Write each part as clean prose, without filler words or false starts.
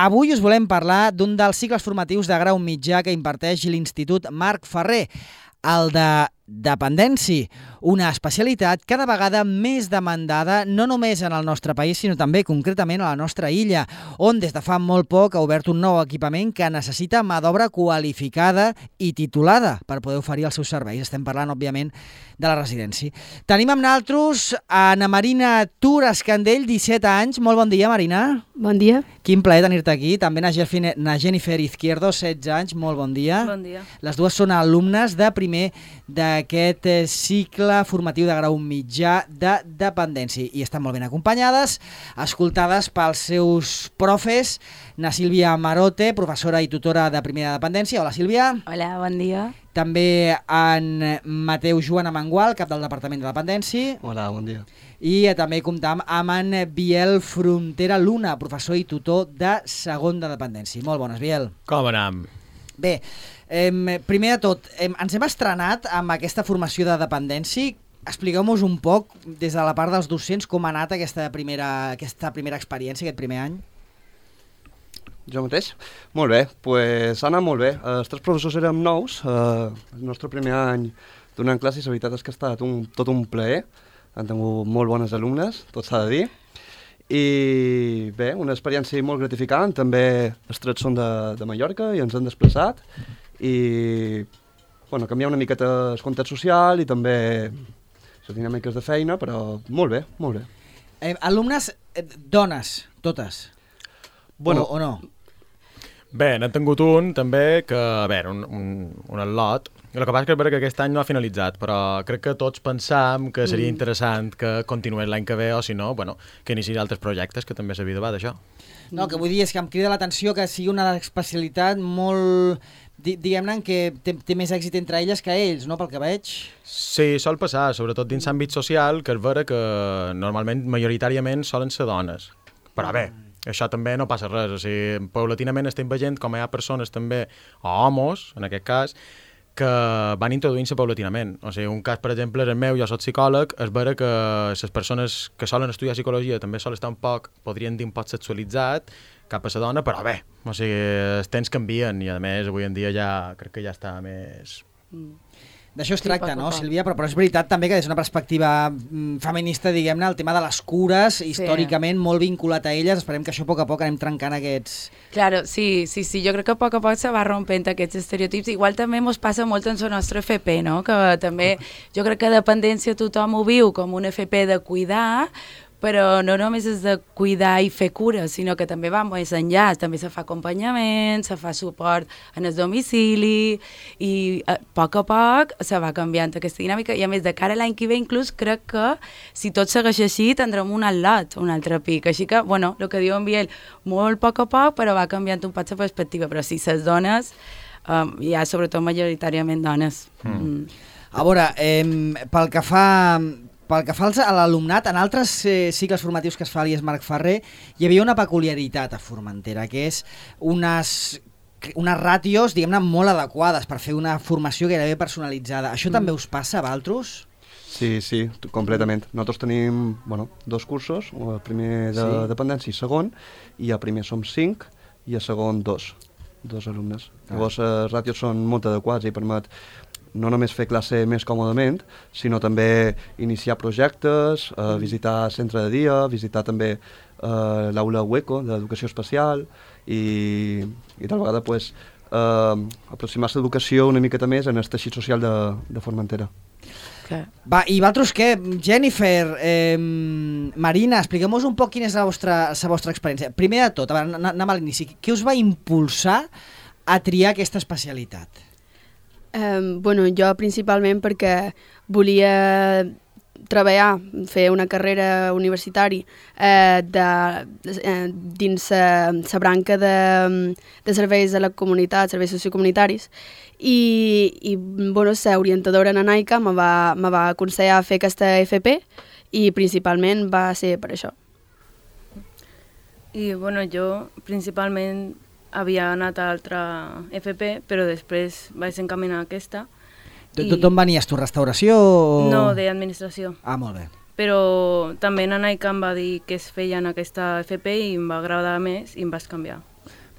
avui us volem parlar d'un dels cicles formatius de grau mitjà que imparteix l'Institut Marc Ferrer, el de dependència, una especialitat cada vegada més demandada no només en el nostre país, sinó també concretament a la nostra illa, on des de fa molt poc ha obert un nou equipament que necessita mà d'obra qualificada i titulada per poder oferir els seus serveis. Estem parlant, òbviament, de la residència. Tenim amb nosaltres Ana Marina Tur Escandell, 17 anys. Molt bon dia, Marina. Bon dia. Quin plaer tenir-te aquí. També na Jennifer Izquierdo, 16 anys. Molt bon dia. Bon dia. Les dues són alumnes de primer d'aquest cicle formatiu de grau mitjà de dependència i estan molt ben acompanyades, escoltades pels seus profes, na Sílvia Marote, professora i tutora de primera dependència. Hola, Sílvia. Hola, bon dia. També en Mateu Joan Amengual, cap del Departament de Dependència. Hola, bon dia. I també comptam amb en Biel Frontera Luna, professor i tutor de segon de dependència. Molt bones, Biel. Com anem? Bé, primer de tot, ens hem estrenat amb aquesta formació de dependència. Expliqueu-nos un poc, des de la part dels docents, com ha anat aquesta primera experiència, aquest primer any. Jo mateix? Molt bé, doncs ha anat molt bé. Els tres professors érem nous, el nostre primer any donant classes, la veritat és que ha estat tot un plaer. Han tingut molt bones alumnes, tot s'ha de dir. I bé, una experiència molt gratificant. També els tres són de Mallorca i ens han desplaçat. I canviar una miqueta el context social i també les dinàmiques de feina, però molt bé, molt bé. Alumnes, dones, totes? Bueno, o no? Bé, n'hem tingut un, també, que, a veure, un al·lot. El que passa és que aquest any no ha finalitzat, però crec que tots pensam que seria interessant que continués l'any que ve, o si no, que iniciï altres projectes, que també s'havia de d'això. No, el que vull dir és que em crida l'atenció que sigui una especialitat molt, diguem-ne, que té més èxit entre elles que ells, no?, pel que veig. Sí, sol passar, sobretot dins l'àmbit social, que és vera que normalment, majoritàriament, solen ser dones. Però bé, això també no passa res, o sigui, paulatinament estem veient com hi ha persones també, o homes, en aquest cas, que van introduint-se paulatinament. O sigui, un cas, per exemple, és el meu, jo soc psicòleg, és vera que les persones que solen estudiar psicologia també solen estar un poc, podrien dir un poc sexualitzat cap a la dona, però bé, o sigui, els temps canvien i a més avui en dia ja crec que ja està més... D'això es tracta, no, Sílvia? Però és veritat també que des d'una perspectiva feminista, diguem-ne, el tema de les cures, històricament molt vinculat a elles. Esperem que això a poc anem trencant aquests... Claro, sí, jo crec que a poc se va rompent aquests estereotips. Igual també ens passa molt en el nostre FP, no? Que també jo crec que dependència tothom ho viu com un FP de cuidar, però no només és de cuidar i fer cures, sinó que també va més enllà, també se fa acompanyament, se fa suport en el domicili i a poc se va canviant aquesta dinàmica i a més de cara a l'any que ve inclús crec que si tot segueix així tindrem un al·lot, un altre pic, així que, el que diu en Biel, molt a poc però va canviant un poc la perspectiva, però sí, les dones, hi ha sobretot majoritàriament dones. A veure, pel que fa a l'alumnat, en altres cicles formatius que es fa a l'IES Marc Ferrer, hi havia una peculiaritat a Formentera, que és unes ràtios, diguem-ne, molt adequades per fer una formació gairebé personalitzada. Això també us passa a vosaltres? Sí, completament. Nosaltres tenim dos cursos, el primer de dependència i segon, i a primer som 5 i a segon 2 alumnes. Llavors, les ràtios són molt adequats i permet no només fer classe més còmodament, sinó també iniciar projectes, visitar centre de dia, visitar també l'aula Hueco d'educació especial i tal vegada aproximar-se l'educació una miqueta més en el teixit social de Formentera. Va, i vosaltres què? Jennifer, Marina, expliqueu-nos un poc quina és la vostra experiència. Primer de tot, anem a l'inici, què us va impulsar a triar aquesta especialitat? Jo principalment perquè volia treballar, fer una carrera universitària dins la branca de serveis a la comunitat, serveis sociocomunitaris, i la orientadora Nanaica me va aconsellar fer aquesta FP i principalment va ser per això. I jo principalment havia anat a altra FP, però després vaig encaminar aquesta. D'on venies tu, restauració? No, d'administració. Ah, molt bé. Però també Nanaica em va dir que es feia en aquesta FP i em va agradar més i em vaig canviar.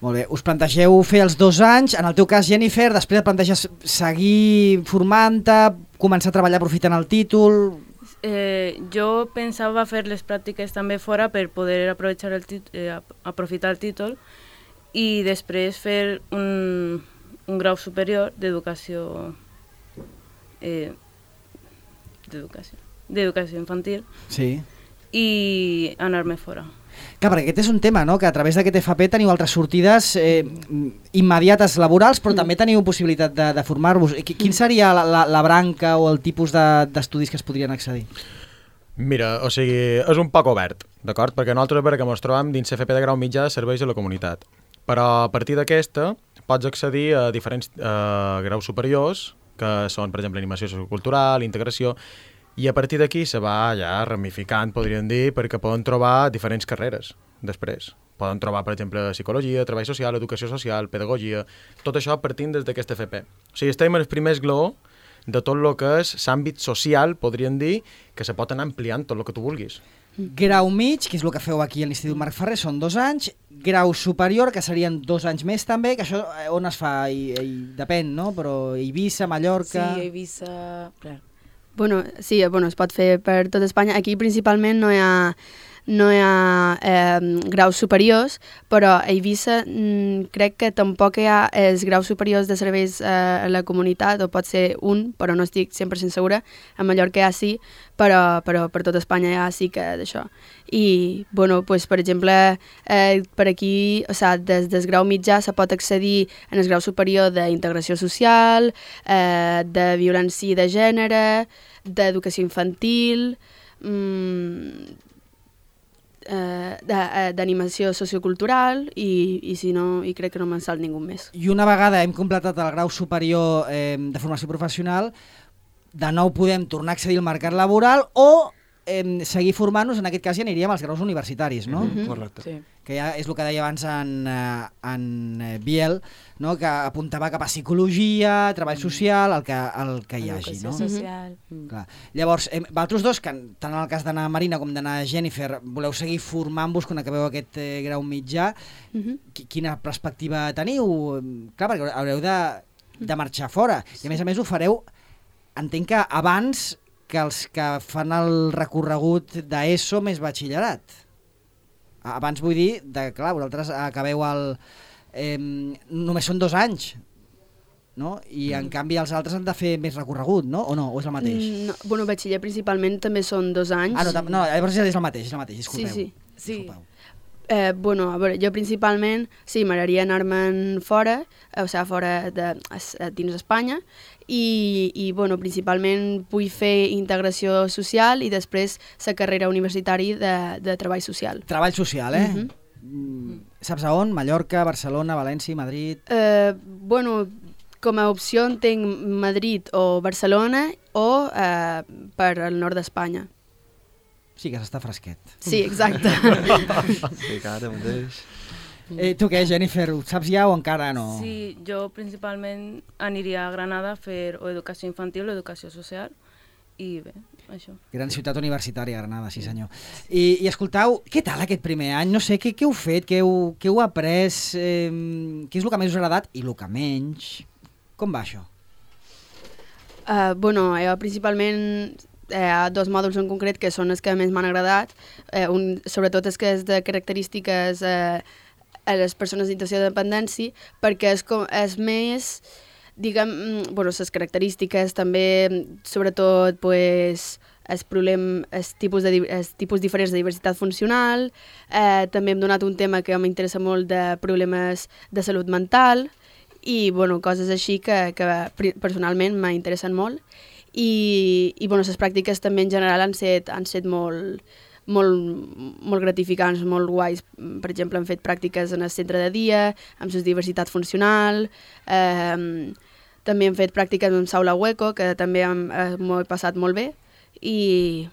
Molt bé, us plantegeu fer els 2 anys, en el teu cas, Jennifer, després et planteges seguir formant-te, començar a treballar aprofitant el títol... Jo pensava fer les pràctiques també fora per poder aprofitar el títol i després fer un grau superior d'educació infantil i anar-me fora. Clar, perquè aquest és un tema, no?, que a través d'aquest FP teniu altres sortides immediates laborals, però també teniu possibilitat de formar-vos. Quin seria la branca o el tipus d'estudis que es podrien accedir? Mira, o sigui, és un poc obert, d'acord? Perquè nosaltres, a veure, que ens trobem dins FP de grau mitjà de serveis a la comunitat. Però a partir d'aquesta pots accedir a diferents graus superiors, que són, per exemple, animació sociocultural, integració, i a partir d'aquí se va ja ramificant, podríem dir, perquè poden trobar diferents carreres després. Poden trobar, per exemple, psicologia, treball social, educació social, pedagogia, tot això partint des d'aquest FP. O sigui, estem en el primer esglaó de tot el que és l'àmbit social, podríem dir, que se pot anar ampliant tot el que tu vulguis. Grau mig, que és el que feu aquí a l'Institut Marc Ferrer, són 2 anys. Grau superior, que serien 2 anys més també, que això on es fa? Depèn, no? Però Eivissa, Mallorca... Sí, Eivissa... Clar. Sí, es pot fer per tot Espanya. Aquí principalment no hi ha graus superiors, però a Eivissa crec que tampoc hi ha els graus superiors de serveis a la comunitat, o pot ser un, però no estic 100% segura. A Mallorca hi ha sí, però per tot Espanya hi ha sí que d'això. I, per exemple, per aquí, des del grau mitjà se pot accedir en el grau superior d'integració social, de violència de gènere, d'educació infantil, d'animació sociocultural i si no, i crec que no me'n salt ningú més. I una vegada hem completat el grau superior de formació professional, de nou podem tornar a accedir al mercat laboral o seguir formant-nos, en aquest cas ja aniríem als graus universitaris, no? Correcte. Sí. Que ja és el que deia abans en Biel, no? Que apuntava cap a psicologia, treball social, el que hi hagi. Educació No? social. Clar. Llavors, vosaltres dos, que tant en el cas d'Anna Marina com d'Anna Jennifer, voleu seguir formant-vos quan acabeu aquest grau mitjà, quina perspectiva teniu? Clar, perquè haureu de marxar fora. I a més ho fareu, entenc que abans que els que fan el recorregut d'ESO més batxillerat. Abans vull dir, clar, vosaltres acabeu només són 2 anys, no? I en canvi els altres han de fer més recorregut, no? O no? O és el mateix? No, batxiller principalment també són 2 anys. No, llavors és el mateix, disculpeu. Sí. Disculpeu. A veure, jo principalment, sí, m'agradaria anar-me'n fora, fora dins Espanya, i principalment vull fer integració social i després la carrera universitària de treball social. Treball social, Saps a on? Mallorca, Barcelona, València, Madrid? Com a opció entenc Madrid o Barcelona o per al nord d'Espanya. Sí, que s'està fresquet. Sí, exacte. Sí, que ara mateix... Tu què, Jennifer, ho saps ja o encara no? Sí, jo principalment aniria a Granada a fer o educació infantil o educació social i bé, això. Gran ciutat universitària, Granada, sí senyor. I escoltau, què tal aquest primer any? No sé, què heu fet, què heu après, què és el que més us ha agradat i el que menys? Com va això? Jo principalment... Hi ha 2 mòduls en concret que són els que més m'han agradat, sobretot els que és de característiques a les persones en situació de dependència, perquè és més, les característiques també, sobretot, els tipus diferents de diversitat funcional, també hem donat un tema que m'interessa molt de problemes de salut mental, i coses així que personalment m'interessen molt. I les pràctiques també en general han set molt gratificants, molt guais. Per exemple, hem fet pràctiques en el centre de dia, amb la diversitat funcional, també hem fet pràctiques en Saula Hueco, que també m'ho he passat molt bé, i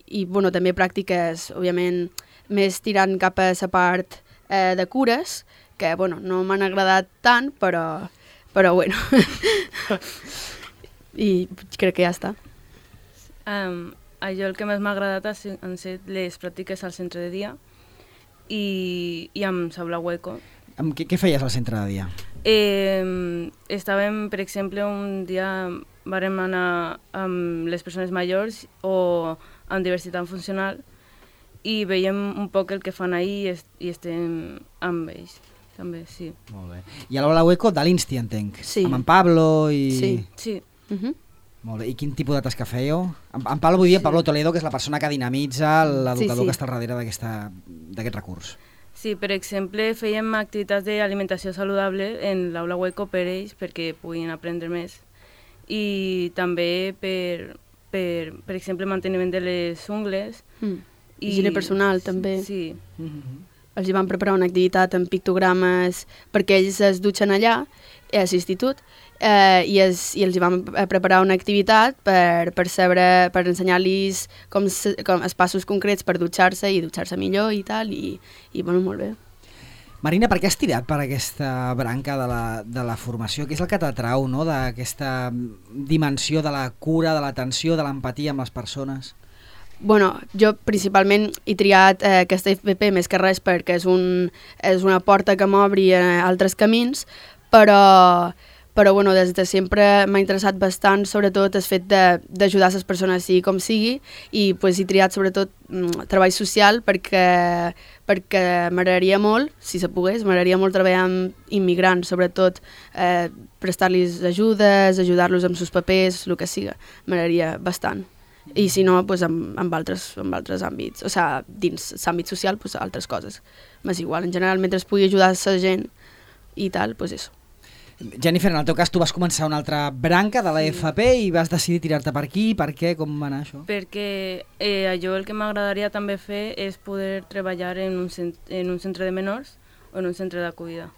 també pràctiques, òbviament, més tirant cap a la part de cures, que no m'han agradat tant, però bueno... I crec que ja està. Allò el que més m'ha agradat han set les pràctiques al centre de dia i amb Saula Hueco, Què feies al centre de dia? Estàvem, per exemple, un dia vàrem anar amb les persones majors o amb diversitat funcional i veiem un poc el que fan ahir i estem amb ells, també, sí. Molt bé. I a l'Aula Hueco de l'Insti, entenc. Sí. Amb en Pablo i... Sí. Molt bé. I quin tipus de tasca fèieu? En Pablo vull dir Pablo Toledo, que és la persona que dinamitza l'educador que està al darrere d'aquest recurs. Sí, per exemple, fèiem activitats d'alimentació saludable en l'Aula Hueco per ells perquè puguin aprendre més. I també per exemple, manteniment de les ungles. Higiene personal, també. Sí. Els hi van preparar una activitat amb pictogrames perquè ells es dutxen allà, a l'institut, i els hi van preparar una activitat per ensenyar-los com els passos concrets per dutxar-se i dutxar-se millor i tal, i bueno, molt bé. Marina, per què has tirat per aquesta branca de la formació? Què és el que t'atrau, no?, d'aquesta dimensió de la cura, de l'atenció, de l'empatia amb les persones? Bueno, jo principalment he triat aquesta FPP més que res perquè és una porta que m'obri a altres camins, però bueno, des de sempre m'ha interessat bastant, sobretot el fet d'ajudar les persones sigui com sigui, i pues, he triat sobretot treball social perquè m'agradaria molt, si se pogués, m'agradaria molt treballar amb immigrants, sobretot prestar-los ajudes, ajudar-los amb els papers, el que siga, m'agradaria bastant. I si no, pues, amb altres àmbits, o sigui, dins l'àmbit social, pues, altres coses. M'és igual, en general, mentre pugui ajudar la gent i tal, pues eso. Jennifer, en el teu cas tu vas començar una altra branca de la FP i vas decidir tirar-te per aquí, per què, com va anar això? Perquè allò el que m'agradaria també fer és poder treballar en un centre de menors o en un centre d'acollida.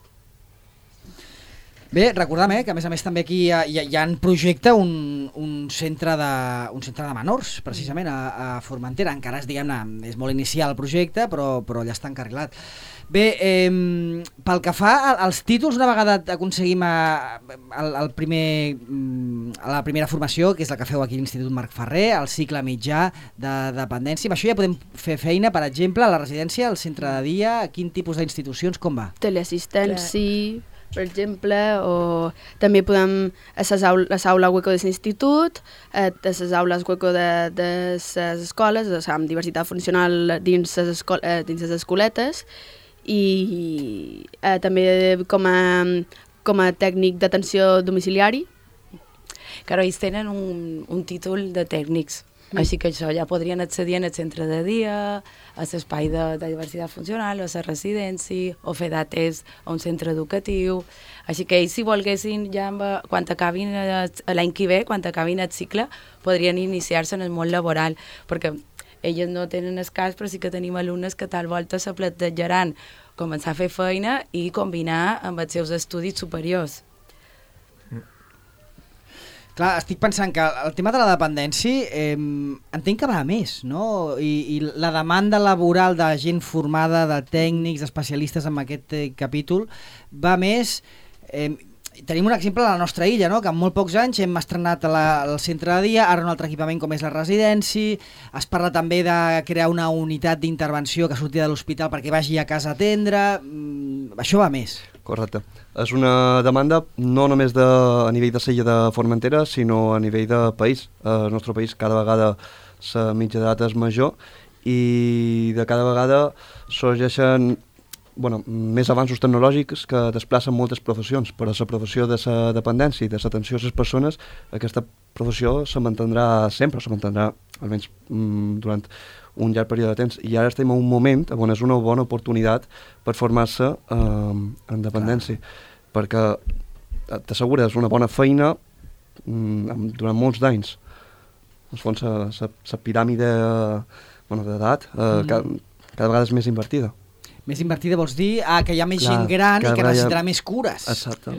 Bé, recordem que a més també aquí hi ha en projecte un centre de menors, precisament, a Formentera. Encara és molt inicial el projecte, però ja està encarrilat. Bé, pel que fa als títols, una vegada aconseguim a la primera formació, que és la que feu aquí a l'Institut Marc Ferrer, el cicle mitjà de dependència, amb això ja podem fer feina, per exemple, a la residència, al centre de dia, quin tipus d'institucions, com va? Teleassistència, per exemple, o també podem a l'aula Hueco de l'Institut, a les aules Hueco de les escoles, amb diversitat funcional dins les escoletes, i també com a tècnic d'atenció domiciliari. Claro, ells tenen un títol de tècnics, així que això ja podrien accedir al centre de dia, a l'espai de diversitat funcional, o a la residència, o fer dates a un centre educatiu. Així que ells, si volguessin, ja quan acabin l'any que ve, quan acabin el cicle, podrien iniciar-se en el món laboral, perquè elles no tenen el cas, però sí que tenim alumnes que tal volta se plantejaran començar a fer feina i combinar amb els seus estudis superiors. Clar, estic pensant que el tema de la dependència entenc que va a més, no? I la demanda laboral de gent formada, de tècnics, d'especialistes en aquest capítol, va a més. Tenim un exemple a la nostra illa, no? Que en molt pocs anys hem estrenat el centre de dia, ara un altre equipament com és la residència, es parla també de crear una unitat d'intervenció que surti de l'hospital perquè vagi a casa a atendre, això va a més. Correcte. És una demanda no només a nivell de Sella de Formentera, sinó a nivell de país. El nostre país cada vegada la mitja d'edat és major i de cada vegada sorgeixen més avanços tecnològics que desplacen moltes professions, però la professió de la dependència i de l'atenció a les persones, aquesta professió se mantindrà sempre, se mantindrà almenys durant un llarg període de temps, i ara estem en un moment on és una bona oportunitat per formar-se en dependència, perquè t'assegures una bona feina durant molts d'anys. En el fons, la piràmide d'edat cada vegada és més invertida. Més invertida vols dir que hi ha més gent gran i que necessitarà més cures. Exacte.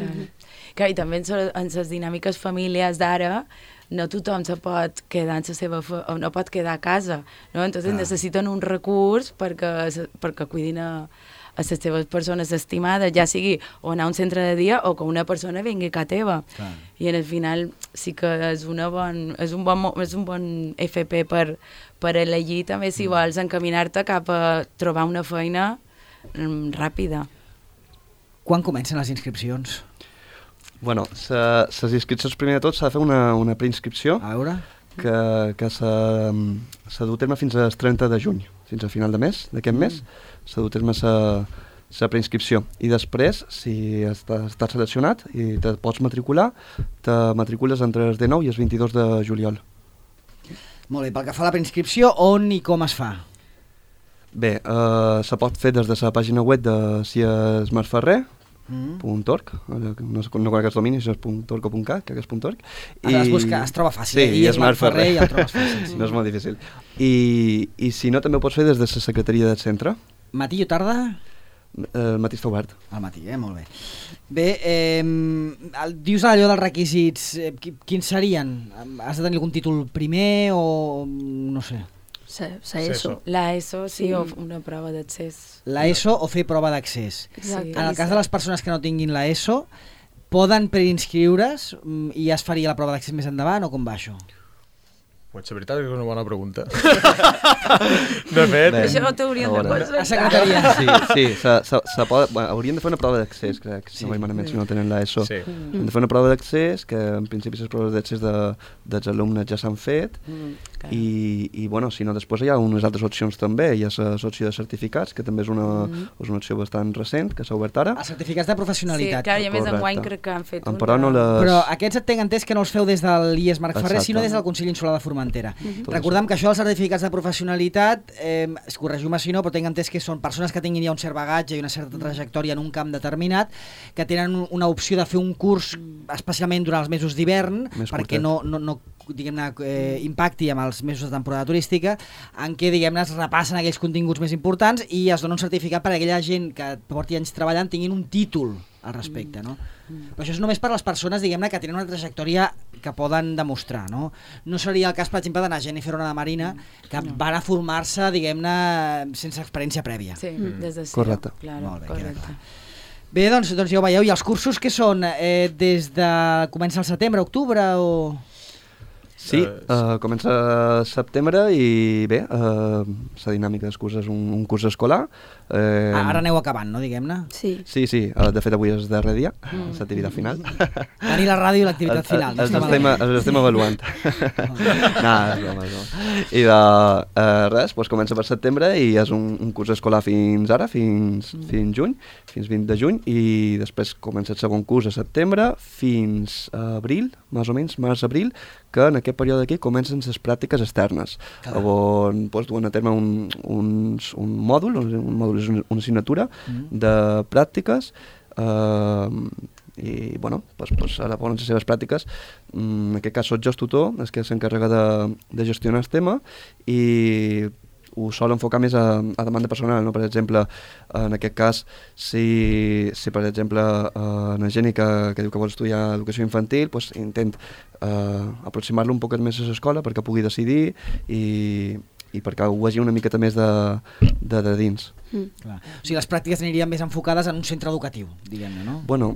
Clar, i també en les dinàmiques familiars d'ara no tothom se pot quedar no pot quedar a casa, no? Entonces necessiten un recurs perquè cuidin a les seves persones estimades, ja sigui o anar a un centre de dia o que una persona vingui a casa teva. I al final sí que és un bon FP per elegir també si vols encaminar-te cap a trobar una feina ràpida. Quan comencen les inscripcions? Bueno, les inscripcions primer de tot s'ha de fer una preinscripció A veure... que s'ha dut a terme fins al 30 de juny, fins al final de mes, d'aquest mes, s'ha dut a terme la preinscripció. I després, si estàs seleccionat i te pots matricular, te matricules entre el 19 i el 22 de juliol. Molt bé, pel que fa a la preinscripció, on i com es fa? Bé, se pot fer des de la pàgina web de siesmarferrer.org, no conec els dominis, si és .org o .cat, crec que és .org. Ara es busca, es troba fàcil, sí, i és Marc Ferrer i el trobes fàcil. Sí. No és molt difícil. I si no, també ho pots fer des de la secretaria del centre. Matí o tarda? El matí està obert. Al matí, molt bé. Bé, dius allò dels requisits, quins serien? Has de tenir algun títol primer o no sé? ESO. La ESO, sí, o una prova d'accés. La ESO o fer prova d'accés. Exacte. En el cas de les persones que no tinguin la ESO, poden preinscriure's i ja es faria la prova d'accés més endavant o com va això? Pues la veritat és que és una bona pregunta. De fet... Això t'haurien de posar. A secretaria. Sí, haurien de fer una prova d'accés, crec, si no vaig malament, si no tenen l'ESO. Sí. Hem de fer una prova d'accés, que en principi les proves d'accés dels alumnes ja s'han fet, i bueno, si no, després hi ha unes altres opcions també. Hi ha l'opció de certificats, que també és una opció bastant recent, que s'ha obert ara. Els certificats de professionalitat. Sí, clar, i a més enguany crec que han fet un. Però aquests et tenc entès que no els feu des de l'IES Marc Ferrer, sinó des del Consell Insular de Formentera. Recordem que això dels certificats de professionalitat, corregiu-me si no, però tinc entès que són persones que tinguin ja un cert bagatge i una certa trajectòria en un camp determinat, que tenen una opció de fer un curs especialment durant els mesos d'hivern, perquè no diguem-ne, impacti amb els mesos de temporada turística, en què, diguem-ne, es repassen aquells continguts més importants i es dona un certificat per a aquella gent que porti anys treballant tinguin un títol al respecte, no? Però això és només per a les persones, diguem-ne, que tenen una trajectòria que poden demostrar, no? No seria el cas, per exemple, d'anar Jennifer Ona de Marina, que van a formar-se, diguem-ne, sense experiència prèvia. Sí, des de zero. Correcte. Claro, molt bé, correcte. Bé, doncs ja ho veieu. I els cursos que són? Des de... comença el setembre, octubre o...? Sí, comença a setembre i bé, la dinàmica dels curs és un curs escolar. Ara aneu acabant, no, diguem-ne? Sí. Sí, de fet avui és el darrer dia, l'activitat final. Tenir la ràdio i l'activitat final. Els estem avaluant. I res, comença per setembre i és un curs escolar fins ara, fins juny, fins 20 de juny, i després comença el segon curs a setembre fins a abril, més o menys, març-abril, que en aquest període d'aquí comencen les pràctiques externes, on duen a terme un mòdul és una assignatura de pràctiques, i bueno, ara poden les seves pràctiques. En aquest cas soc jo el tutor, és que s'encarrega de gestionar el tema, i ho sol enfocar més a demanda personal, no? Per exemple, en aquest cas, si per exemple una gent que diu que vol estudiar educació infantil, intent aproximar-lo un poquet més a l'escola perquè pugui decidir i perquè ho vegi una miqueta més de dins. Clar. O sigui, les pràctiques anirien més enfocades en un centre educatiu, diguem-ne, no? Bueno,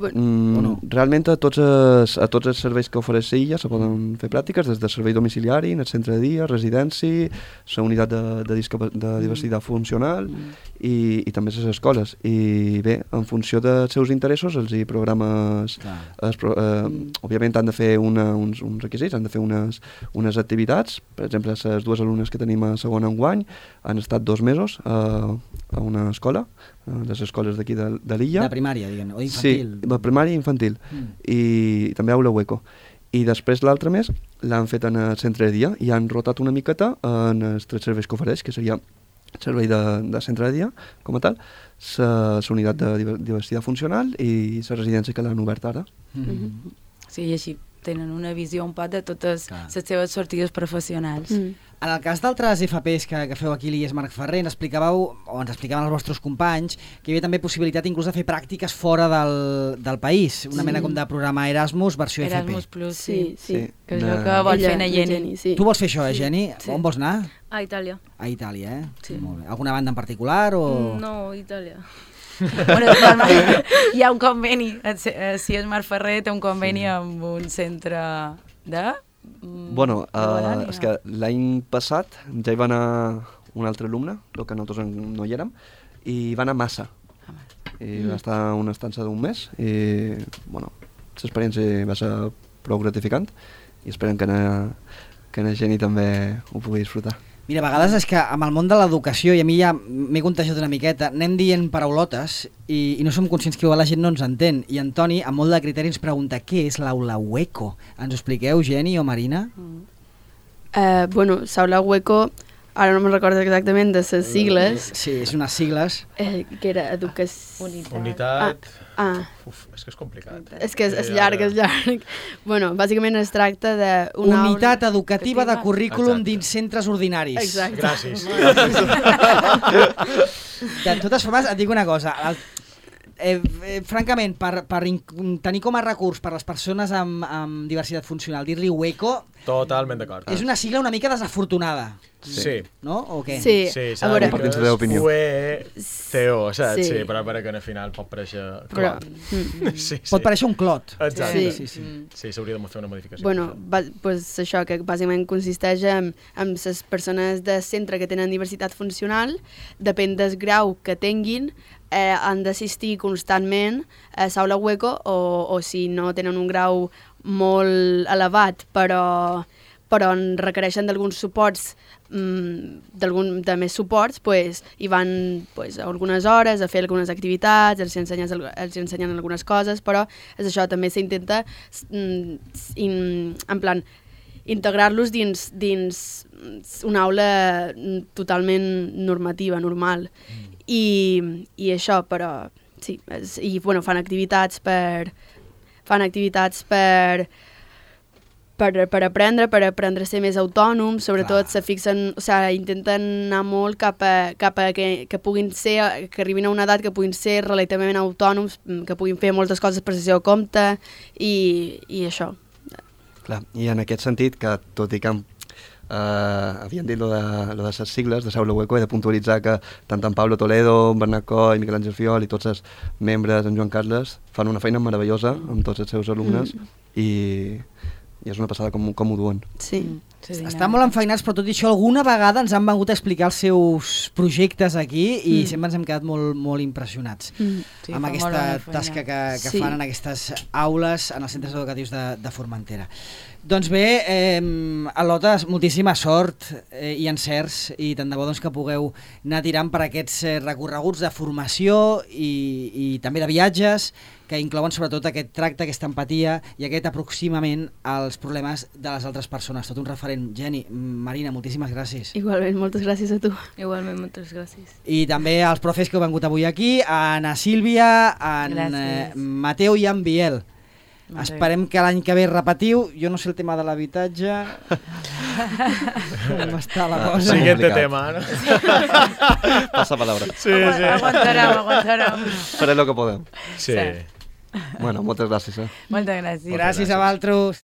realment a tots els serveis que ofereix l'illa se poden fer pràctiques, des del servei domiciliari, el centre de dia, residència, la unitat de diversitat funcional i també les escoles. I bé, en funció dels seus interessos, els hi programes... Òbviament han de fer uns requisits, han de fer unes activitats. Per exemple, les dues alumnes que tenim a segon enguany han estat 2 mesos a una escola, les escoles d'aquí de l'illa. De primària, diguem-ne, o infantil. Sí, de primària i infantil. I també aula hueco. I després l'altre mes l'han fet en el centre de dia i han rotat una miqueta en els 3 serveis que ofereix, que seria el servei de centre de dia, com a tal, la unitat de diversitat funcional i la residència que l'han obert ara. Sí, i així tenen una visió un poc de totes les seves sortides professionals. En el cas d'altres FPs que feu aquí a l'IES Marc Ferrer, ens explicaven els vostres companys que hi havia també possibilitat inclús de fer pràctiques fora del país, una mena com de programa Erasmus versió FP. Erasmus Plus, sí. Que és No. el que vol fer na Jenny. Tu vols fer això, Jenny? Sí. On vols anar? A Itàlia. A Itàlia, Sí. Molt bé. Alguna banda en particular o...? No, Itàlia. Bueno, hi ha un conveni, si és Marc Ferrer té un conveni amb un centre de... Bueno, és que l'any passat ja hi va anar un altre alumne, el que nosaltres no hi érem, i va anar a Massa. i va estar una estança d'un mes i, bueno, l'experiència va ser prou gratificant i esperem que la Geni també ho pugui disfrutar. Mira, a vegades és que amb el món de l'educació, i a mi ja m'he contagiat una miqueta, anem dient paraulotes i no som conscients que la gent no ens entén. I en Toni, amb molt de criteri, ens pregunta què és l'aula Hueco. Ens ho expliqueu, Geni o Marina? Bueno, Saula Hueco, ara no me'n recordo exactament de les sigles. Sí, és unes sigles. Que era educació... Unitat... Uf, és que és complicat. És que és llarg, és llarg. Bueno, bàsicament es tracta d'una Unitat educativa de currículum dins centres ordinaris. Exacte. Gràcies. De totes formes, et dic una cosa. Francament, per tenir com a recurs per les persones amb diversitat funcional, dir-li hueco... Totalment d'acord. És una sigla una mica desafortunada. Sí. No? O què? Sí, a veure... Compartint la teva opinió. CEO, saps? Sí, però que al final pot parèixer clot. Pot parèixer un clot. Exacte. Sí, s'hauria de fer una modificació. Bueno, pues això, que bàsicament consisteix en les persones de centre que tenen diversitat funcional, depèn del grau que tinguin, han d'assistir constantment a Saula Hueco o si no tenen un grau molt elevat però en requereixen d'alguns suports, de més suports, hi van algunes hores a fer algunes activitats, els ensenyen algunes coses, però és això, també s'intenta en plan integrar-los dins una aula totalment normativa, normal. I això, però sí, i bueno, fan activitats per aprendre a ser més autònoms, sobretot se fixen, intenten anar molt cap a que puguin ser, que arribin a una edat que puguin ser relativament autònoms, que puguin fer moltes coses per el seu compte i això. Clar, i en aquest sentit, que tot i que havien dit lo de les sigles de Saula Hueco, he de puntualitzar que tant en Pablo Toledo, en Bernat Coll, Miquel Àngel Fiol i tots els membres, en Joan Carles, fan una feina meravellosa amb tots els seus alumnes i és una passada com ho duen. Sí. Estan molt enfeinats, però tot i això alguna vegada ens han vengut a explicar els seus projectes aquí i sempre ens hem quedat molt, molt impressionats amb aquesta tasca que fan en aquestes aules, en els centres educatius de Formentera. Doncs bé, Al·lota, moltíssima sort i encerts i tant de bo que pugueu anar tirant per aquests recorreguts de formació i també de viatges que inclouen sobretot aquest tracte, aquesta empatia i aquest aproximament als problemes de les altres persones. Tot un referent. Geni, Marina, moltíssimes gràcies. Igualment, moltes gràcies a tu. Igualment, moltes gràcies. I també als profes que heu vengut avui aquí, a Ana Sílvia, a Mateu i a en Biel. Esperem que l'any que ve repetiu. Jo no sé el tema de l'habitatge. Com està la cosa? Siguiente tema, ¿no? Passa palabra. Sí. Aguantarem. Faré lo que podem. Sí. Bueno, moltes gràcies. Moltes gràcies. Gràcies a vosaltres.